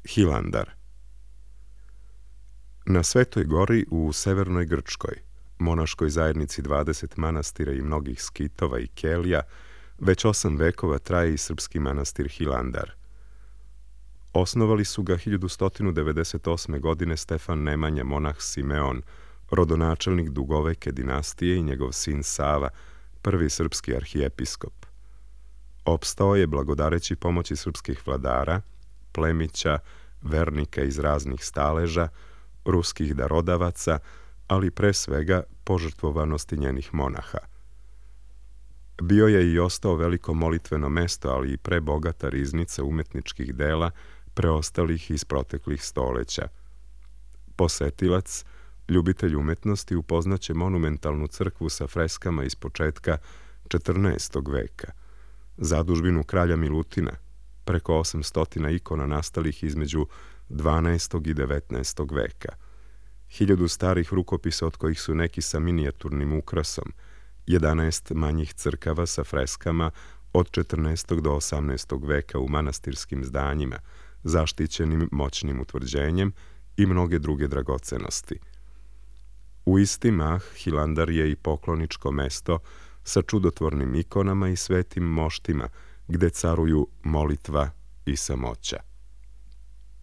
Hilandar. Na Svetoj gori u severnoj Grčkoj, monaškoj zajednici 20 manastira i mnogih skitova i kelija, već 8 vekova traje i srpski manastir Hilandar. Osnovali su ga 1198. godine Stefan Nemanja, monah Simeon, rodonačelnik dugoveke dinastije, i njegov sin Sava, prvi srpski arhijepiskop. Opstao je blagodareći pomoći srpskih vladara, plemića, vernika iz raznih staleža, ruskih darodavaca, ali pre svega požrtvovanosti njenih monaha. Bio je i ostao veliko molitveno mesto, ali i prebogata riznica umetničkih dela preostalih iz proteklih stoleća. Posetilac, ljubitelj umetnosti, upoznaće monumentalnu crkvu sa freskama iz početka 14. veka, zadužbinu kralja Milutina, preko 800 ikona nastalih između 12. i 19. veka, 1000 starih rukopisa od kojih su neki sa minijaturnim ukrasom, 11 manjih crkava sa freskama od 14. do 18. veka u manastirskim zdanjima, zaštićenim moćnim utvrđenjem, i mnoge druge dragocenosti. U isti mah Hilandar je i pokloničko mesto sa čudotvornim ikonama i svetim moštima, gde caruju molitva i samoća.